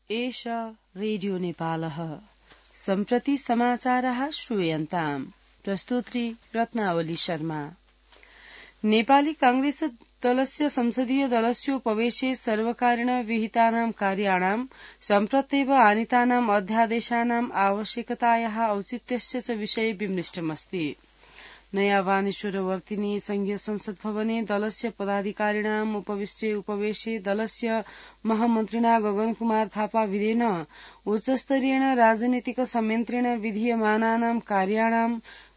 एष रेडियो नेपालः सम्प्रति समाचारः श्रूयन्ताम् प्रस्तुत्री रत्नावली शर्मा। नेपाली कांग्रेस दलस्य संसदीय दलस्योपवेशे सर्वकारेण विहितानां कार्याणां सम्प्रत्येव आनीतानाम् अध्यादेशानाम् आवश्यकतायाः औचित्यस्य च विषये विमृष्टमस्ति। नया वानेश्वरवर्तिनी संघीय संसद भवने दलस्य पदाधिकारिणाम् उपवेशे दलस्य महामन्त्रिणा गगन कुमार थापा विधेन उच्चस्तरीयेण राजनीतिक संयन्त्रेण विधीयमानानां कार्याणां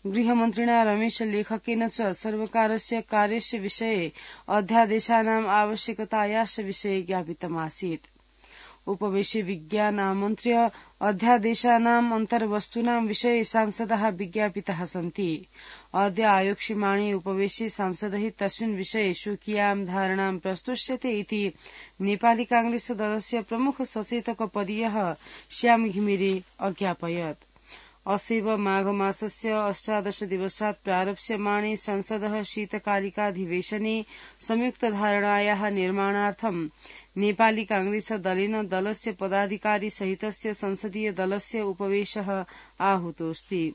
गृहमन्त्रिणा रमेश लेखकेन च सर्वकारस्य कार्यस्य विषये अध्यादेशानाम् आवश्यकतायाश्च विषये ज्ञापितमासीत्। उपवेशे विज्ञान आमन्त्र्य अध्यादेशानाम् अन्तर्वस्तूनां विषये सांसदाः विज्ञापिताः सन्ति। अद्य आयोक्ष्यमाणे उपवेशे सांसदैः तस्मिन् विषये स्वकीयां धारणां प्रस्तुष्यते इति नेपाली कांग्रेस दलस्य प्रमुख सचेतक पदीयः श्याम घिमिरे अज्ञापयत्। असैव माघ मासस्य 18 दिवसात् प्रारप्स्यमाणे संसदः शीतकालिकाधिवेशने संयुक्त धारणायाः निर्माणार्थं नेपाली कांग्रेस दलेन दलस्य पदाधिकारी सहितस्य संसदीय दलस्य उपवेशः आहूतोऽस्ति।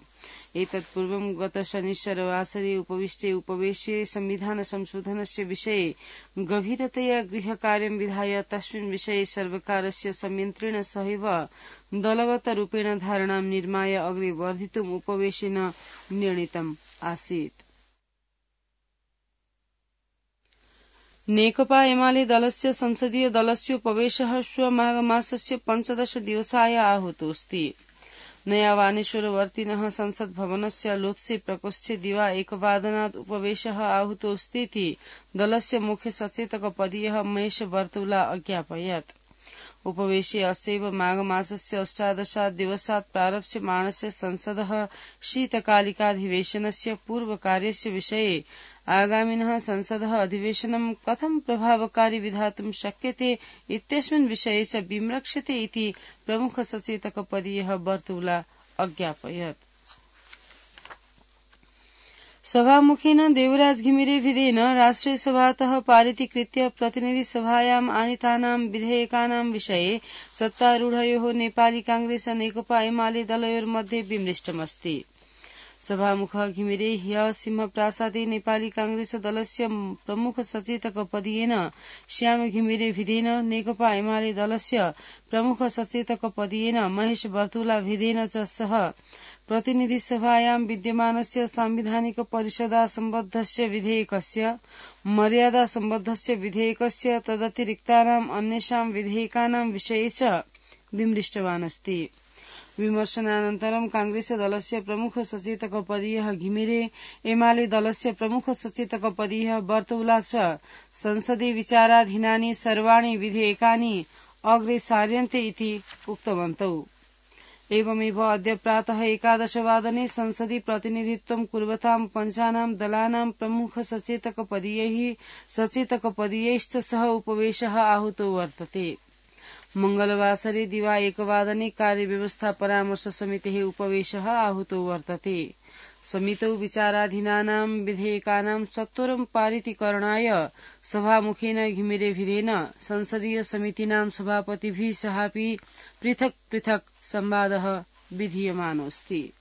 एतत्पूर्वं गत शनिश्चरवासरे उपविष्टे उपवेशे संविधान संशोधनस्य विषये गभीरतया गृहकार्यं विधाय तस्मिन् विषये सर्वकारस्य संयन्त्रेण सहैव दलगतरूपेण धारणां निर्माय अग्रे वर्धितुम् उपवेशेन निर्णीतम् आसीत्। नेकपा एमाले दलस्य संसदीय दलस्योपवेशः श्व माघ मासस्य 15 दिवसाय आहूतोऽस्ति। नया वानेश्वरवर्तिनः संसद भवनस्य लोत्से प्रकोष्ठे दिवा 1 उपवेशः आहूतोऽस्तीति दलस्य मुख्य सचेतक पदीयः महेश बर्तुला अज्ञापयत्। उपवेशे अस्यैव माघ मासस्य 18 दिवसात् प्रारप्स्यमाणस्य संसदः शीतकालिकाधिवेशनस्य पूर्वकार्यस्य विषये आगामिनः संसदः अधिवेशनं कथं प्रभावकारी विधातुं शक्यते इत्यस्मिन् विषये च विमृक्षते इति प्रमुख सचेतक पदीयः बर्तुला अज्ञापयत्। सभामुखेन देवराज घिमिरे विधेन राष्ट्रिय सभातः पारितीकृत्य प्रतिनिधि सभायाम् आनीतानां विधेयकानां विषये सत्तारूढयोः नेपाली कांग्रेस नेकपा एमाले दलयोर्मध्ये विमृष्टमस्ति। सभामुखः घिमिरे ह्यः सिंहप्रासादे नेपाली कांग्रेस दलस्य प्रमुख सचेतक पदीयेन श्याम घिमिरे विधेन नेकपा एमाले दलस्य प्रमुख सचेतक पदीयेन महेश बर्तुला विधेन च सह प्रतिनिधि सभायां विद्यमानस्य सांविधानिक परिषदा सम्बद्धस्य विधेयकस्य मर्यादा सम्बद्धस्य विधेयकस्य तदतिरिक्तानाम् अन्येषां विधेयकानां विषये च विमृष्टवान् अस्ति। विमर्शनानन्तरं कांग्रेस दलस्य प्रमुख सचेतक पदीयः घिमिरे एमाले दलस्य प्रमुख सचेतक पदीयः बर्तुला च संसदे विचाराधीनानि सर्वाणि विधेयकानि अग्रे सार्यन्ते इति उक्तवन्तौ। एवमेव अद्य प्रातः 11 वादने संसदि प्रतिनिधित्वं कुर्वतां पञ्चानां दलानां प्रमुख सचेतक पदीयैश्च सह उपवेशः आहूतो वर्तते। मंगलवासरे दिवा 1 वादने कार्यव्यवस्था परामर्श समितेः उपवेशः आहूतो वर्तते। समितौ विचाराधीनानां विधेयकानां सत्वरं पारितीकरणाय सभामुखेन घिमिरे विधेन संसदीय समितीनां सभापतिभिः सहापि पृथक् पृथक् संवादः विधीयमानोऽस्ति।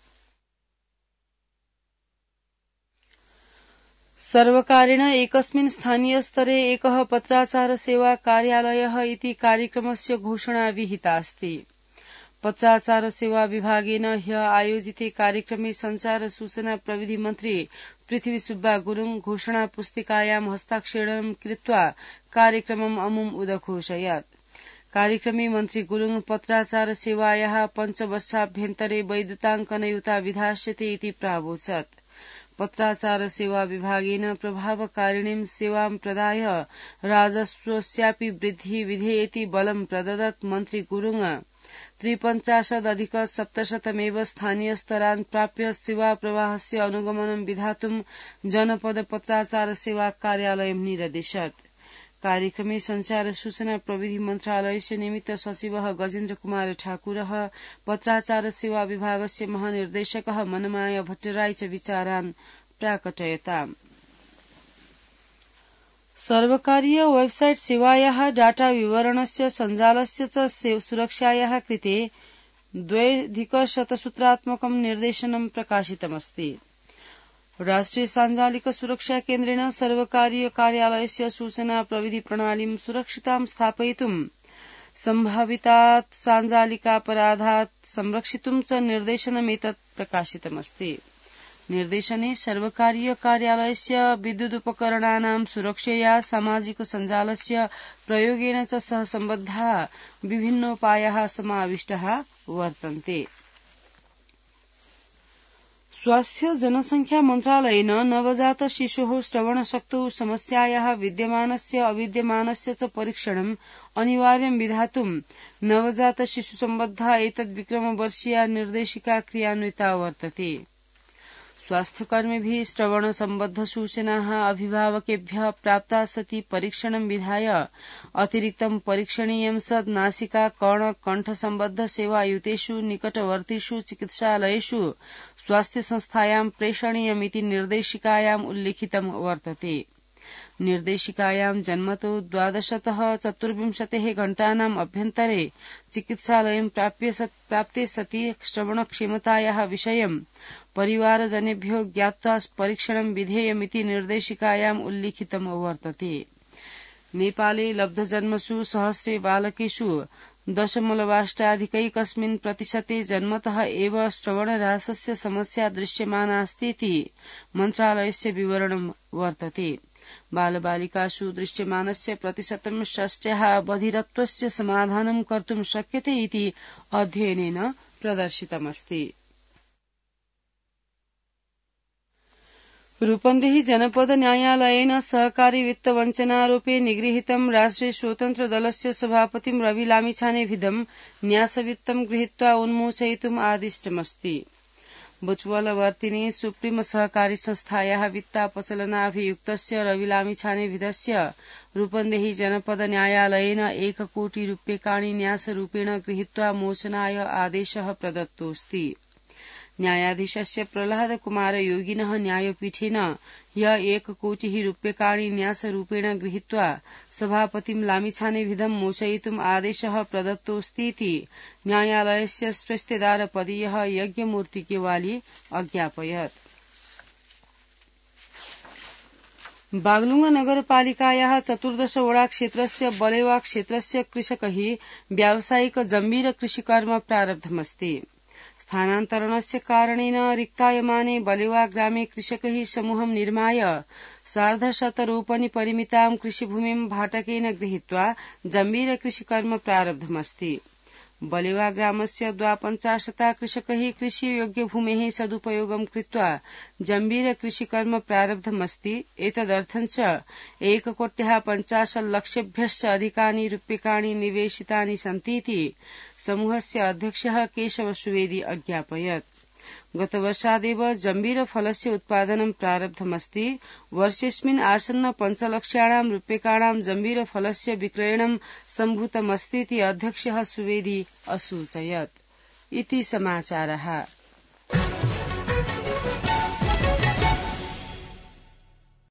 सर्वकारेण एकस्मिन् स्थानीय स्तरे एकः पत्राचार सेवा कार्यालयः इति कार्यक्रमस्य घोषणा विहिता अस्ति। पत्राचार सेवा विभागेन ह्यः आयोजिते कार्यक्रमे संचार सूचना प्रविधि मन्त्री पृथ्वी सुब्बा गुरुङ घोषणा पुस्तिकायां हस्ताक्षरं कृत्वा कार्यक्रमम् अमुम् उदघोषयत्। कार्यक्रमे मन्त्री गुरुङ पत्राचार सेवायाः 5 वर्षाभ्यन्तरे वैधताङ्कनयुता विधास्यते इति प्रावोचत्। पत्राचार सेवा विभागेन प्रभावकारिणीं सेवां प्रदाय राजस्वस्यापि वृद्धिः विधेयेति बलं प्रददत्। मन्त्री गुरुङ 53,700 स्थानीय स्तरान् प्राप्य सेवा प्रवाहस्य अनुगमनं विधातुं जनपद पत्राचार सेवा कार्यालयं निरदिशत्। कार्यक्रमे संचार सूचना प्रविधि मन्त्रालयस्य निमित्त सचिवः गजेन्द्र कुमार ठाकुरः पत्राचार सेवा विभागस्य महानिर्देशकः मनमाया भट्टराई च विचारान् प्राकटयताम्। सर्वकारीय वेबसाइट सेवायाः डाटा विवरणस्य सञ्जालस्य च सुरक्षायाः कृते 2,100 निर्देशनं प्रकाशितमस्ति। राष्ट्रिय साञ्जालिक सुरक्षा केन्द्रेण सर्वकारीय कार्यालयस्य सूचना प्रविधि प्रणालीं सुरक्षितां स्थापयितुं सम्भावितात् साञ्जालिकापराधात् संरक्षितुं च निर्देशनमेतत् प्रकाशितमस्ति। निर्देशने सर्वकारीय कार्यालयस्य विद्युदुपकरणानां सुरक्षया सामाजिक सञ्जालस्य प्रयोगेन च सह सम्बद्धाः विभिन्नोपायाः समाविष्टाः वर्तन्ते। स्वास्थ्य जनसंख्या मन्त्रालयेन नवजात शिशोः श्रवणशक्तौ समस्यायाः विद्यमानस्य अविद्यमानस्य च परीक्षणम् अनिवार्यं विधातुं नवजात शिशुसम्बद्धा एतद्विक्रमवर्षीया निर्देशिका क्रियान्विता वर्तते। स्वास्थ्यकर्मिभिः श्रवणसम्बद्ध सूचनाः अभिभावकेभ्यः प्राप्ता सति परीक्षणं विधाय अतिरिक्तं परीक्षणीयं सद् नासिका कर्ण कण्ठसम्बद्ध सेवायुतेषु निकटवर्तिषु चिकित्सालयेषु स्वास्थ्यसंस्थायां प्रेषणीयमिति निर्देशिकायाम् उल्लिखितं वर्तते। निर्देशिकायां जन्मतो 12तः 24 घण्टानाम् अभ्यन्तरे चिकित्सालयं प्राप्ते सति श्रवणक्षमतायाः विषयं परिवारजनेभ्यो ज्ञात्वा परीक्षणं विधेयमिति निर्देशिकायाम् उल्लिखितं वर्तते। नेपाले लब्धजन्मसु सहस्रे बालकेषु 0.8% जन्मतः एव श्रवणह्रासस्य समस्या दृश्यमानास्तीति मन्त्रालयस्य विवरणं वर्तते। बालबालिकासु दृश्यमानस्य प्रतिशतं षष्ट्याः बधिरत्वस्य समाधानं कर्तुं शक्यते इति अध्ययनेन प्रदर्शितमस्ति। रूपन्देही जनपद न्यायालयेन सहकारी वित्तवञ्चनारोपे निगृहीतं राष्ट्रिय स्वतन्त्र दलस्य सभापतिं रवि लामिछानेभिदं न्यासवित्तं गृहीत्वा उन्मोचयितुम् आदिष्टमस्ति। बुचवलवर्तिनी सुप्रीम सहकारी संस्थायाः वित्तापचलनाभियुक्तस्य रवि लामिछानेभिदस्य रूपन्देही जनपद न्यायालयेन 1 कोटि रूप्यकाणि न्यासरूपेण गृहीत्वा मोचनाय आदेशः प्रदत्तोऽस्ति। न्यायाधीशस्य प्रह्लाद कुमार योगिनः न्यायपीठेन ह्यः 1 कोटिः रूप्यकाणि न्यासरूपेण गृहीत्वा सभापतिं लामिछानेभिदं मोचयितुम् आदेशः प्रदत्तोऽस्तीति न्यायालयस्य स्वेस्तेदारपदीयः यज्ञमूर्ति केवाली अज्ञापयत्। बागलुङ नगरपालिकायाः 14 वडा क्षेत्रस्य बलेवा क्षेत्रस्य कृषकैः व्यावसायिक जम्बीर कृषिकर्म प्रारब्धमस्ति। स्थानान्तरणस्य कारणेन रिक्तायमाने बलेवा ग्रामे कृषकैः समूहं निर्माय 150 रोपनि परिमितां कृषिभूमिं भाटकेन गृहीत्वा जम्बीर कृषिकर्म प्रारब्धमस्ति। बलेवा ग्रामस्य 52 कृषकैः कृषियोग्यभूमेः सदुपयोगं कृत्वा जम्बीर कृषिकर्म प्रारब्धमस्ति। एतदर्थं च 1,50,00,000 अधिकानि रूप्यकाणि निवेशितानि सन्तीति समूहस्य अध्यक्षः केशव सुवेदी अज्ञापयत्। गतवर्षादेव जम्बीर फलस्य उत्पादनं प्रारब्धमस्ति। वर्षेऽस्मिन् आसन्न 5 लक्षाणां रूप्यकाणां जम्बीर फलस्य विक्रयणं सम्भूतमस्तीति अध्यक्षः सुवेदी असूचयत्। इति समाचारः।